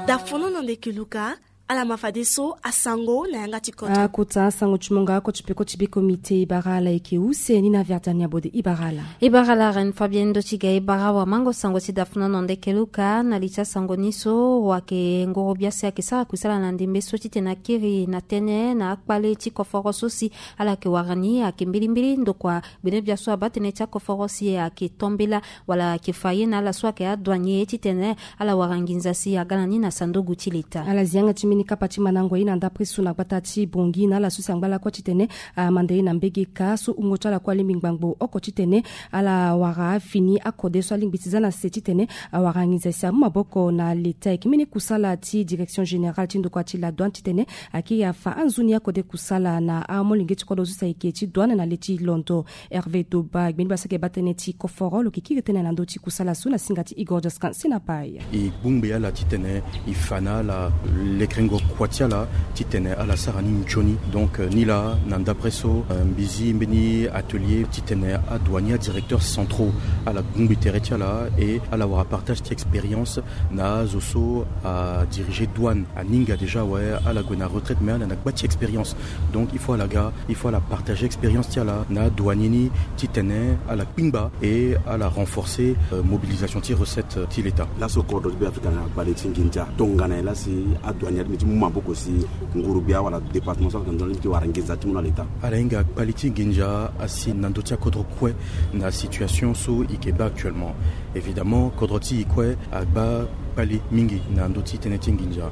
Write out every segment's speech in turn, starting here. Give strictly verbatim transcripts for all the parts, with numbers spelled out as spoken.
Dafono na ndeke luka. Ala ma fadeso asango na yanga ti kota. Akota asango ti monga oko ti peko ti biko mite ibara ala eke use ni na verdiani abode ibara ala. Ibara ala ren fabien ndo ti ga ibara wa mango sango ti dafono na ndeke luka na li ti asango ni so wa ke ngoro biasi ake sara kusala na ndembe so titene akiri na tene na akpale ti koforo so si ala ke wara ni ake mbilimbili ndokua gbene biaso aba tene ti akoforo si ake tombela wala ake fa ye na ala so ake adoigne titene ala wara nginza si aga na ni na sanduku ti leta. Ala zi yanga ti mbeni kapa ti mandango ye na ndapre so na gbata ti bongi na ala so si angba lakue titene amanda ye na mbege ka so wungo ti ala kue alingbi ngbangbo oko titene ala wara afini akode so alingbi ti za na se titene awara nginza si amu maboko na leta eke mbeni kusala ti direction générale ti ndokua ti la douane titene akiri afa anzoni akode kusala na amolenge ti kodro so si ayeke ti douane na le ti londo. Hervé Doba gbeni basa ke baa tënë ti koforo lo ke kiri tënë na ndö ti kusala so na singa ti Igor Jaskan si na pai. E bongbi ala titene e fa na ala lekerengo kua ti ala titene ala sara ni nzoni. Donc ni laa na ndapre so mbi zi mbeni atelier titene adouanier, adirecteurs centraux ala bongbi tere ti ala e ala wara partage ti expérience na azo so adirige douane aninga déjà awe ala gue na retraite mais ala na gba ti expérience. Donc il faut ala ga il faut ala partager expérience ti ala na adouanier ni titene ala kpingba e ala renforcer mobilisation ti recette ti leta. Laso kodro ti beafrika na kpali ti nginza tongana e lasi adouanier ti mu maboko si nguru gbia wala département so ala ndo ti wara nginza ti mu na leta. Ala hinga kpali ti nginza asi na ndö ti akodro kue na situation so e ke baa actuellement. Évidemment kodro ti e kue agba kpali mingi na ndö ti tënë ti nginza.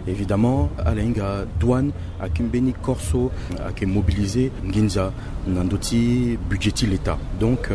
Évidemment ala hinga douane ake mbeni corps so ake mobiliser nginza na ndö ti budget ti leta. Donc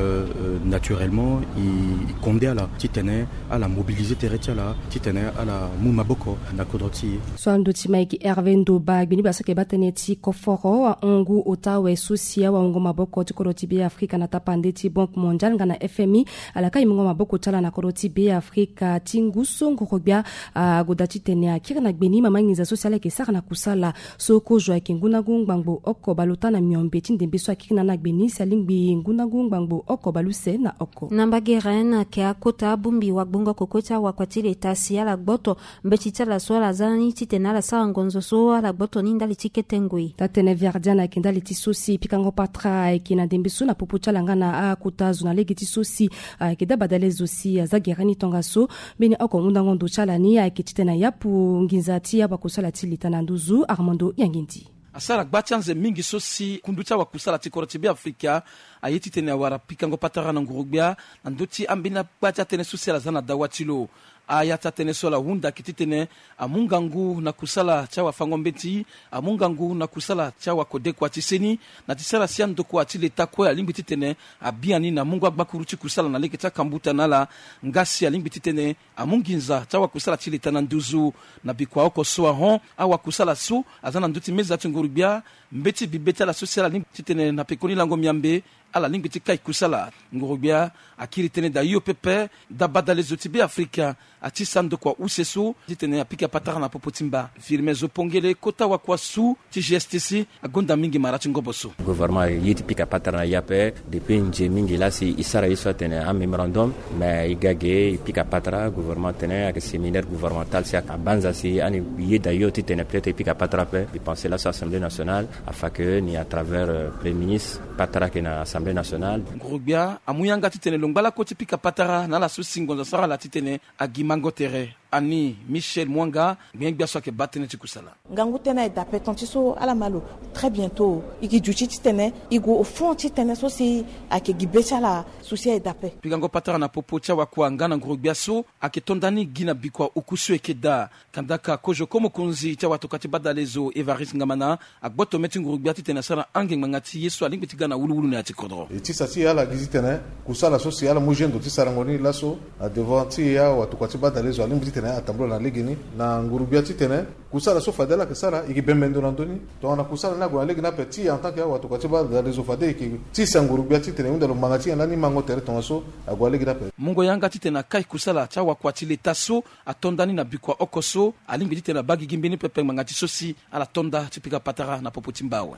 naturellement e konde ala titene ala mobiliser tere ti ala titene ala mu maboko na kodro ti e. So ando ti mike hervé ndoba gbeni basa ke baa tënë ti koforo ahon ngu ota awe so si awahungo maboko ti kodro ti beafrika na tapande ti banque mondiale nga na fmi ala kai mungo maboko ti ala na kodro ti beafrika ti ngu so ngoro gbia agoda titene akiri na gbe ni mama nginza so si ala yeke sara na kusala so kozo ayeke ngu na ngu ngbangbo oko baleota na miombe ti ndembe so akiri na ala na gbe ni si alingbi ngu na ngu ngbangbo oko baleuse na oko. Na mbage ren ayeke akota abongbi wagbongo koko ti awakua ti leta si ala gboto mbeti ti ala so ala za ni titene ala sara ngonzo so ala gboto ni ndali ti kete ngoi. Taa-tënë verdian ayeke ndali ti so si pikango patara ayeke na ndembe so na popo ti ala nga na akota zo na lege ti so si ayeke daba dale zo si aza gere ni tongaso. Mbeni oko hundango ndo ti ala ni ayeke titene ayapu nginza ti awakusala ti leta na nduzu armando yangindi. Asara gba ti anze mingi so si kundu ti awakusala ti kodro ti beafrika aye titene awara pikango patara na nguru-gbia na ndö ti ambeni agba ti atënë so si ala za na dawa ti lo. Aya ti atënë so ala hunda ayeke titene amu ngangu na kusala ti awafango-mbeti, amu ngangu na kusala ti awakodekua ti seni na ti sara si andokua ti leta kue alingbi titene abiani na mungo agbakuru ti kusala na lege ti akambuta na ala. Nga si alingbi titene amu nginza ti awakusala ti leta na nduzu na bikua oko so ahon awakusala so aza na ndö ti meza ti nguru-gbia. Mbeti bibe ti ala so si ala lingbi titene na pekoni lango miambe ala lingbi ti kai kusala. Nguru-gbia akiri tënë daa hio pepe daa badale zo ti beafrika atisa ndokua use so titene apika patara na popo ti mba. Firme zo pongele kota wakua su ti gstc agonda mingi mara ti ngobo so. Gouvernement aye ti pika patara na e ape depuis nze mingi laa si e sara ye so atene amémorandum mais e ga ge e pika patara gouvernement atene ayeke séminaire gouvernemental si abanza si ani yeda yo titene peut-être e pika patara ape. Mbi pense laso assemblée nationale afa ke ni à travers premier ministre patara ayeke na assemblée nationale. Nguru-gbia amu yanga titene lo ngba lako ti pika patara na ala so si ngonzo asara ala titene agi mango tere. Ani michel mwanga gbengbia so ayeke baa tënë ti kusala. Ngangu tënë aye dape ton ti so ala ma lo très bientôt e ke duti titene e gue au fond ti tënë so si ayeke gi be ti ala. Susi aye dape. Pikango patara na popo ti awakua nga na nguru-gbia so ayeke to nda ni gi na bikua oku so e yeke daa. Kandaka kozo ko mokonzi ti awatokua ti badale zo évariste ngamana agboto me ti nguru-gbia titene asara ange ngbanga ti ye so alingbi ti ga na wuluwulu na ya ti kodro. E ti sa ti e ala gi titene kusala so si ala mu gendo ti sarango ni laso na devant ti e awatokua ti badale zo alingbi titene atambula na legeni na nguru-gbia titene kusala so fade ala yeke sara e yeke bembe ndo na ndö ni. Tongana kusala ni ague na legeni ape ti e en tant que awatokua ti badale zo fade e yeke ti sa nguru-gbia titene e hunda lo ngbanga ti nyen lani mango tere tongaso ague na legeni ape. Mungo yanga titene akai kusala ti awakua ti leta so ato nda ni na bikua oko so alingbi titene abaa gigi mbeni pepe ngbanga ti so si ala to nda ti pika patara na popo ti mba awe.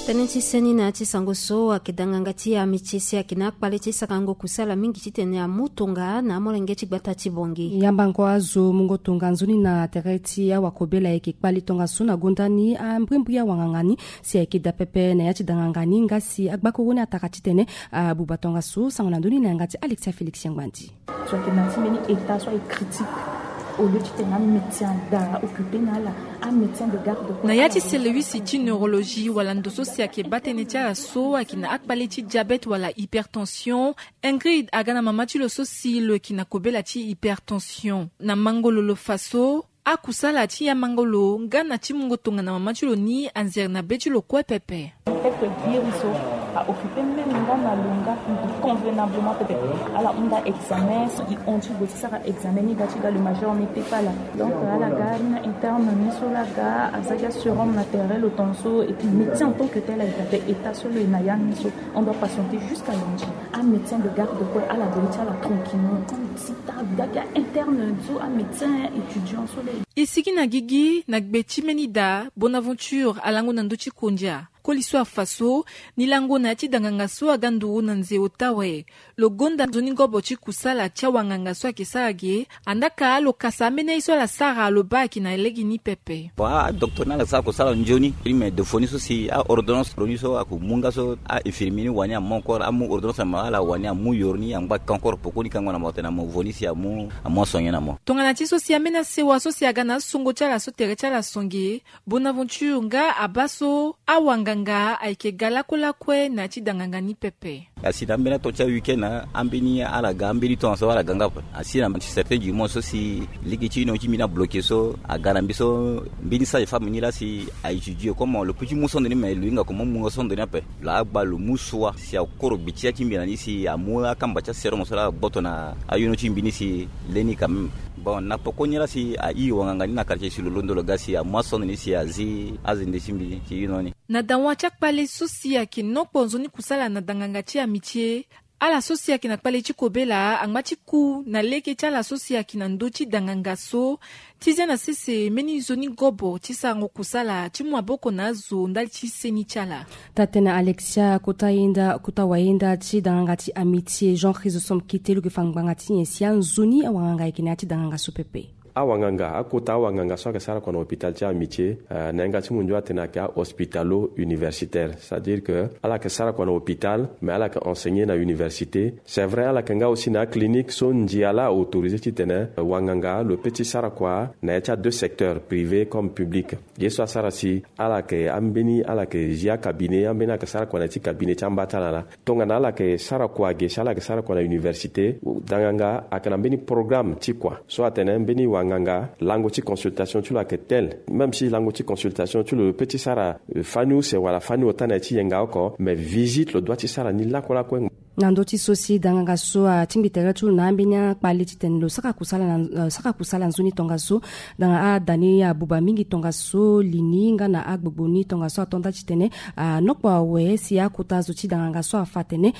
Tënë ti seni na ya ti sango so ayeke danganga ti amitié si ayeke na akpale ti sarango kusala mingi titene amu tonga na amolenge ti gbata ti Bangui. Yambango azo mungo tonga nzoni na tere ti awakobela ayeke kpali tongaso na gonda ni ambrimbri awanganga ni si ayeke daa pepe na ya ti danganga ni nga si agbakuru ni atara titene abuba tongaso. Sango na ndoni na yanga ti Alexia Félix Yangbandi. So ayeke na ti mbeni état so aye critique au lieu titene amédecin ada occupé na ala, amédecin de garde corps. Na ya ti selewisi ti neurologie wala ndo so si ayeke baa tënë ti ala so ayeke na akpale ti diabète wala hypertension. Ingrid aga na mama ti lo so si lo yeke na kobela ti hypertension. Na mango lo lo fa so akusala ti yambango lo nga na ti mungo tongana mama ti lo ni anzere na be ti lo kue pepe. Peut-être guéri so a occupé même nga na lo nga convenablement pepe. Ala hunda examen so i hon ti gue ti sara examen ni ga ti ga le major n'était pas là. Donc ala ga ni na interne ni so la ga aza ga serum na tere lo tongaso et puis médecin en tant que tel a établi état so lo e na ya ni so on doit patienter jusqu'à lundi. Amédecin de garde kue ala gue ti ala tranquillement. Comme si ta ga ga interne so amédecin étudiant so le. E sigi na gigi na gbe ti mbeni daa Bonaventure alango na ndö ti kondia. Koli so afa so ni lango na ya ti danganga so aga nduru na nze ota awe. Lo gonda nzoni ngobo ti kusala ti awanganga so ayeke sara ge. Andaa ka lo kasa ambeni aye so ala sara lo baa ayeke na lege ni pepe. Bon, adocteur ni ala sara kusala nzoni. Ni me defoni so si aordonnance lo ni so ako mu nga so ainfirmier ni wani amu encore amu ordonnance na mo ala wani amu yoro ni angba ka encore pokoni kango na mo tene na mo vo ni si amu amu aso nyen na mo. Tongana ti so si ambeni asewa so si aga na asongo ti ala so tere ti ala songe. Bonaventure nga abaa so awanganga ayeke ga lakue lakue na ya ti danganga ni pepe. Asi na ambeni ato ti aweekend ambeni ala ga ambeni temps so ala ga nga ape. Asi na ti certain du monde so si lege ti union ti mbi ni abloke so aga na mbi so mbeni sage femme ni laa si a étudier comment lo peut ti mu so ndo ni me lo hinga comment mu nga so ndo ni ape. Lo agba lo mu sua si akoro gbe ti ya ti mbi na ni si amu akamba ti aserum so laa agboto na ayono ti mbi ni si leni quand même. Bon na poko ni laa si airi wanganga ni na quartier si lo londo lo ga si amu aso ndo ni si azi azende ti mbi ti ino ni. Na dawa ti akpale so si ayeke nokpo nzoni kusala na danganga ti amitié. Ala so si ayeke na kpale ti kobela angba ti ku na lege ti ala so si ayeke na ndö ti danganga so ti zia na sese mbeni nzoni gobo ti sarango kusala ti mu maboko na azo ndali ti seni ti ala. Taa-tënë Alexia kota yenda kota wayenda ti danganga ti amitié Jean Chrysostome Kite lo yeke fa ngbanga ti nyen si anzoni awanganga ayeke na ya ti danganga so pepe. Awanganga akota awanganga so ayeke sara kua na hôpital ti amitié, eh, na yanga ti mundu atene ayeke ahospitalo universitaire, c'est-à-dire que ala yeke sara kua na hôpital mais ala yeke enseigner na université. C'est vrai ala yeke nga aussi na aclinique so ndia laa autorisé titene, eh, wanganga lo peut ti sara kua na ya ti adeux secteurs, privé comme public. Ye so asara si ala yeke ambeni ala yeke zi acabinet ambeni ala yeke sara kua na ya ti cabinet ti amba ti ala laa. Tongana ala yeke sara kua ge si ala yeke sara kua na université, danganga ayeke na mbeni programme ti kua so atene mbeni wanganga lango ti consultation ti lo ayeke tel. Même si lango ti consultation ti lo lo peut ti sara, eh, fani use wala fani ota na ya ti yenga oko mais visite lo doit ti sara ni lakue lakue. Na ndö ti so si danganga so atingbi tere ti lo na ambeni akpale titene lo sara kusala na, eh, sara kusala nzoni tongaso. Danga ada ni abuba mingi tongaso li ni nga na agbogbo ni tongaso ato nda titene anokpo awe si akota zo ti danganga so afa atene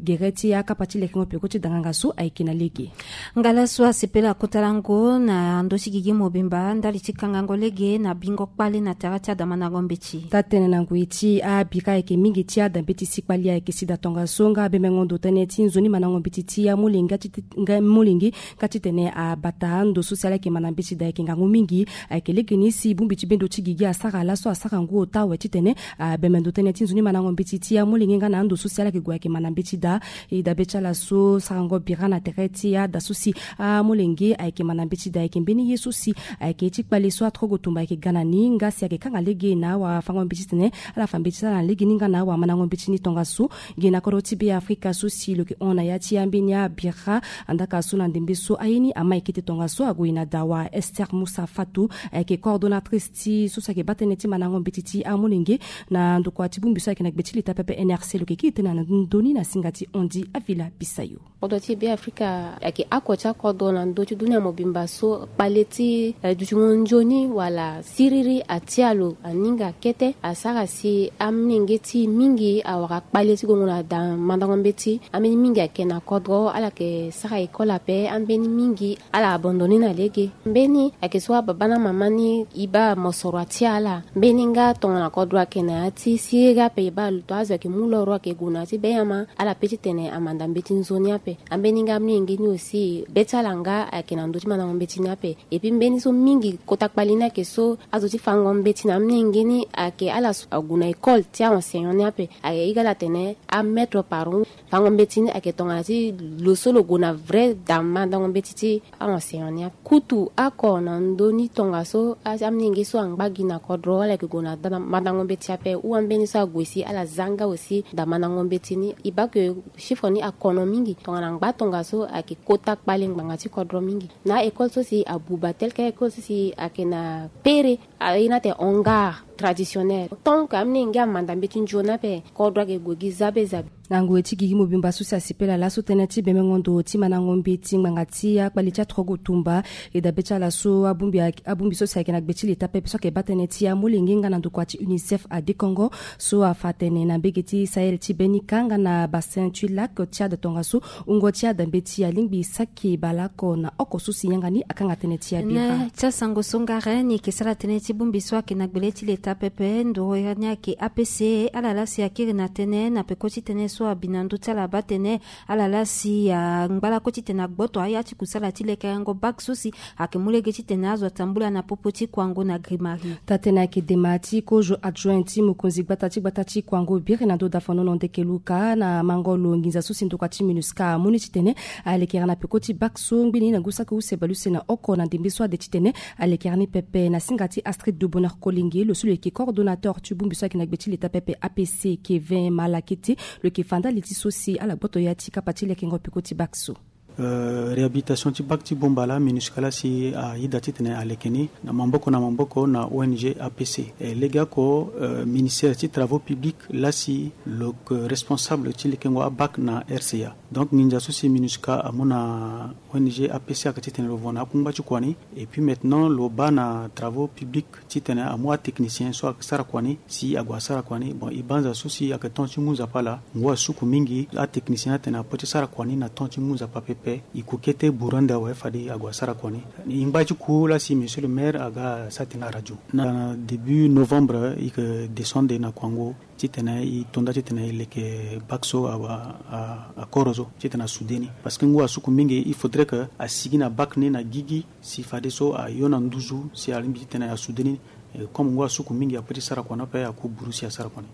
gere ti akapa ti lekengo peko ti danganga so ayeke na lege. Ngala so asepela kota lango na ndö ti gigi mobimba ndali ti kangango lege na bingo kpale na tere ti adamandango mbeti. Taa-tënë na ngoi ti abira ayeke mingi ti adambeti si kpali ayeke sida tongaso nga abemengo ndo tënë ti nzoni mandango mbeti ti amolenge ti nga molenge. Ka titene abata ndo so si ala yeke ma na mbeti daa ayeke ngangu mingi. Ayeke lege ni si bongbi ti bendo ti gigi asara laso asara ngu ota awe titene abembe ndo tënë ti nzoni mandango mbeti ti amolenge nga na ando so si ala yeke gue ayeke ma na mbeti daa. E dabe ti ala so sarango bira na tere ti ada so si amolenge ayeke ma na mbeti daa ayeke mbeni ye so si ayeke ye ti kpale so atrogo tumba ayeke ga na ni nga si ayeke kanga lege na awafango mbeti titene ala fa mbeti ti ala na lege ni nga na awamandango mbeti ni tongaso. Gi na kodro ti Be Afrika so si lo yeke hon na ya ti ambeni abira. Andaka so na ndembe so aye ni ama ekete tongaso ague na dawa Esther Moussa Fatou ayeke coordonnatrice ti so si ayeke baa tënë ti mandango mbeti ti amolenge na ndokua ti bongbi so ayeke na gbe ti leta pepe N R C lo yeke kiri tënë na ndö ni na singa ti Ondi Avila Bisayo. Kodro ti Be Afrika ayeke oko ti akodro na ndö ti dunia mobimba so kpale ti, eh, dutingo nzoni wala siriri atia lo aninga kete asara si amolenge ti mingi awara kpale ti gongo na da mandango Mbeti ambeni mingi ayeke na kodro, ala yeke sara école ape. Ambeni mingi ala abandonné na lege. Mbeni ayeke so ababa na mama ni e baa mosoro atia ala. Mbeni nga tongana kodro ayeke na ya ti siriri ape, e baa luto azo ayeke mu loro ayeke gue na ya ti benyama. Ala pe titene amanda mbeti nzoni ape. Ambeni nga amolenge ni aussi, be ti ala nga ayeke na ndö ti mandango mbeti ni ape. Et puis mbeni so mingi kota kpali ni ayeke so azo ti fango mbeti na amolenge ni ayeke ala so ague na école ti a-enseignant ni ape. Ayeke hige ala atene amaître par fango mbeti ni ayeke tongana ti lo so lo gue na vrai da mandango mbeti ti a-enseignant ni ape. Kutu oko na ndö ni tongaso, a- amolenge so angba gi na kodro, ala yeke gue na da- mandango mbeti ape. Ou ambeni so ague si ala za nga aussi da mandango mbeti ni. E baa ke chiffre ni akono mingi. Tongana angba tongaso ayeke kota kpali ngbanga ti kodro mingi. Na a-école so si abuba tel que a-école so si ayeke na pere, a- e na ate hangar traditionnel. Tant que amolenge amanda mbeti nzoni ape, kodro ayeke gue gi zabe zabe. Na ngoi ti gigi mobimba so si asipela laso tënë ti bemengo ndo ti mandango mbeti ngbanga ti akpali ti atrogo tumba. E dabe ti ala so abongbi a- abongbi so si ayeke na gbe ti leta pepe so ayeke baa tënë ti amolenge nga na ndokua ti UNICEF adekongo so afa atene na mbege ti Sahel ti Benika nga na Bassin ti Lac Tchad tongaso, wungo ti adambe ti alingbi saki baleoko na oko so si yanga ni akanga tënë ti abira. Na ti asango so ngara ni yeke sara tënë ti bongbi so ayeke na gbele ti leta pepe, ndoro ira ni ayeke A P C. Ala laa si akiri na tënë na peko ti tënë so abi na ndö ti ala baa tënë. Ala laa si angba lakue titene agboto aya ti kusala ti lekerengo bac so si ayeke mu lege titene azo atambula na popo ti kuango na grimari. Taa-tënë ayeke dema ti kozo adjoint ti mokonzi gbata ti gbata ti kuango biri na ndö dafanono ndeke luka na mango lo nginza so si ndokua ti MINUSCA amu ni titene alekere na peko ti bac so ngbeni na ngu saki use baleuse na oko na ndembe so ade titene alekere ni pepe na singa ti Astrid de Bonheur Kolenge, lo so lo yeke coordonnateur ti bongbi so ayeke na gbe ti leta pepe A P C, Kevin Malakete, lo yeke fa ndali ti so si ala gboto ya ti kapa ti lekengo peko ti bac so. Euh, réhabilitation ti bac ti Bombala, MINUSCA laa si ayeda titene aleke ni na maboko na maboko na O N G A P C. E legeoko, euh, ministère ti travaux publics laa si lo yeke responsable ti lekengo abac na R C A. Donc nginza so si MINUSCA amu na O N G A P C ayeke titene lo vo na akungba ti kua ni. Et puis maintenant lo baa na travaux publics titene amu atechnicien so asara kua ni si ague asara kua ni. Bon, e banza so si ayeke temps ti mu nzapa laa, ngu asuku mingi. Atechnicien atene apo ti sara kua ni na temps ti mu nzapa pepe. E ku kete burande awe fade ague asara kua ni. E ngba ti ku laa si monsieur le maire aga sara tënë na radio. Na début novembre e yeke descendre na kuango titene e to nda titene e leke bac so a- a- akoro so titene asoude ni. Parce que ngu asuku mingi, il faudrait que asigi na bac ni na gigi si fadeso ayo na nduzu si alingbi titene asoude ni. Eh, comme ngu asuku mingi, ape ti sara kua ni ape aku buru si asara kua ni.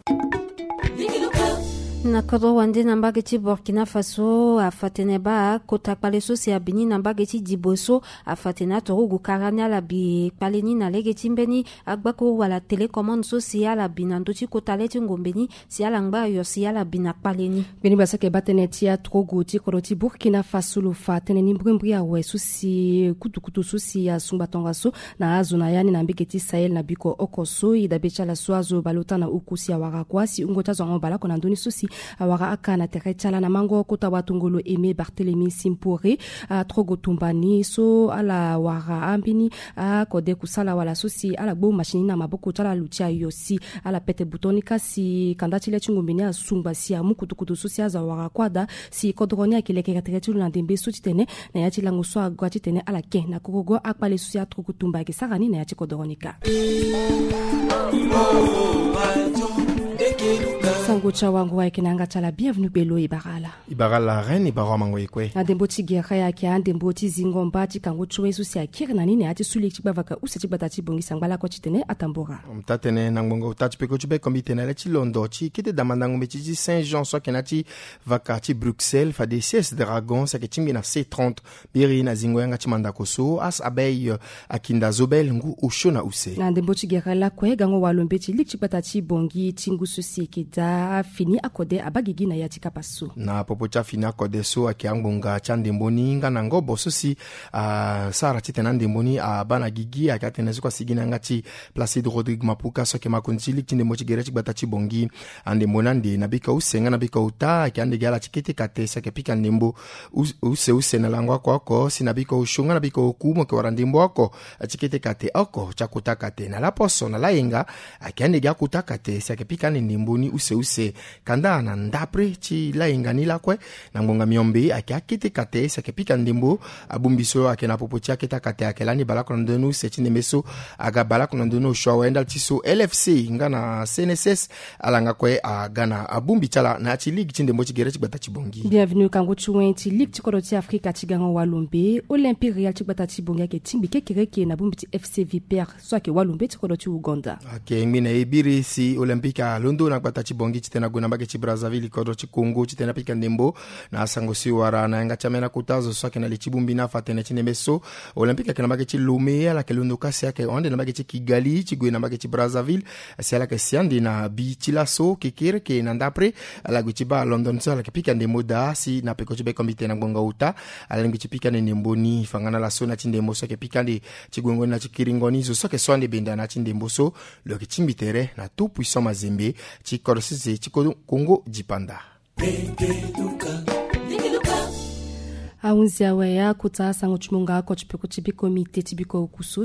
Na kodro wande na mbage ti Burkina Faso afa tene baa kota kpale so si abi ni na mbage ti Dibo so afa tene aturugu kara ni ala bi kpale ni na lege ti mbeni agbako wala télécommande so si ala bi na ndö ti kota le ti ngombe ni si ala ngba ayo si ala bi na kpale ni. Mbeni basa yeke baa tënë ti aturugu ti kodro ti Burkina Faso lo fa tënë ni mbrimbri awe so si kutukutu so si asungba tongaso na azo na ya ni na mbage ti Sahel na biko oko so e dabe ti ala so azo baleota na uku si awara kua si wungo ti azo ango baleoko na ndö ni so si awara aka na tere ti ala na mango kota watongolo Aimé Barthélemy Simpore. Atrogo tumba ni so ala wara ambeni akode kusala wala so si ala gbu machine ni na maboko ti ala lo ti ayo si ala pete buton ni kâ si kanda ti le ti ngombe ni asungba si amu kutukutu so si azo awara kua daa si kodoro ni ayeke lekere tere ti lo na ndembe so titene na ya ti lango so agua titene ala ke na korogo akpale so si atrogo tumba ayeke sara ni na ya ti kodoro ni kâ. Sango ti awango ayeke na yanga ti ala bienvenu gbelo e bara ala. E bara ala reine, e bara amango e kue. Na ndembo ti gere ayeke andembo ti zingo mba ti kango ti we so si akiri na ni na ya ti suli ti gbavaka use ti gbata ti Bangui sangba lakue titene atambora. Taa tënë na ngbongo taa ti peko ti bekombi tene na le ti londo ti kete da mandango mbeti ti Saint Jean so ayeke na ya ti vaka ti Bruxelles fade C S Dragon si ayeke tingbi na C trente. Biri na zingo yanga ti mandako so As Abeille, eh, akinda zo bel ngu osio na use. Na ndembo ti gere lakue gango walo mbeti liki ti gbata ti Bangui ti ngu so si eke daa afini akode abaa gigi na ya ti kapa so. Na popo ti afini akode so ayeke angbonga ti andembo ni nga na ngobo so si asara titene andembo ni abaa na gigi ayeke atene so kue asigi na yanga ti Placide Rodrigue Mapuka so ayeke makonzi ti liki ti ndembo ti gere ti gbata ti Bangui. Andembo ni ande na biko use nga na biko ota ayeke ande gi ala ti kete kate si ayeke pika ndembo use use na lango oko oko si na biko osio nga na biko oku mo yeke wara ndembo oko ti kete kate oko ti akota kate na laposo na layenga. Ayeke ande gi akota kate si ayeke pika ande ndembo ni use se kanda na ndapre ti lainga ni lakue. Na ngbonga miombe ayeke akete kate si ayeke pika ndembo. Abongbi so ayeke na popo ti akete akate ayeke lani baleoko na ndoni use ti ndembe so aga baleoko na ndoni osio awe ndali ti so lfc nga na cnss. Ala nga kue aga na abongbi ti ala na ya ti ligue ti ndembo ti gere ti gbata ti bongi. Bienvenu kango ti wen ti ligue ti kodro ti afrika ti gango walombe olympique real ti gbata ti bongi ayeke tingbi kekereke na bongbi ti fc vipère so ayeke walombe ti kodro ti uganda. Ayeke ngbi na e biri si olympique alondo na gbata ti bongi titene ague na mbage ti brazzaville kodro ti congo titene apika ndembo. Na asango si wara na yanga ti amena kota zo so ayeke na li ti bongbi na afa tene ti ndembe so olympique ayeke na mbage ti lome ala yeke londo kasi ayeke hon ande na mbage ti kigali ti gue na mbage ti brazzaville. Si ala yeke si ande na bi ti laso kekereke na ndapre ala gue ti baa london so ala yeke pika ndembo daa si na peko ti bekombite na ngbonga ota. Ala lingbi ti pika ande ndembo ni fangana laso na ya ti ndembo so ayeke pika ande ti guengo ni na ti kiringo ni zo so ayeke so ande benda na ya ti ndembo so lo yeke tingbi tere na tout puissant mazembe ti kodro sese ti kongo dipanda. Ahunzi awe akota asango ti monga oko ti peko ti bekombite ti biko oku so.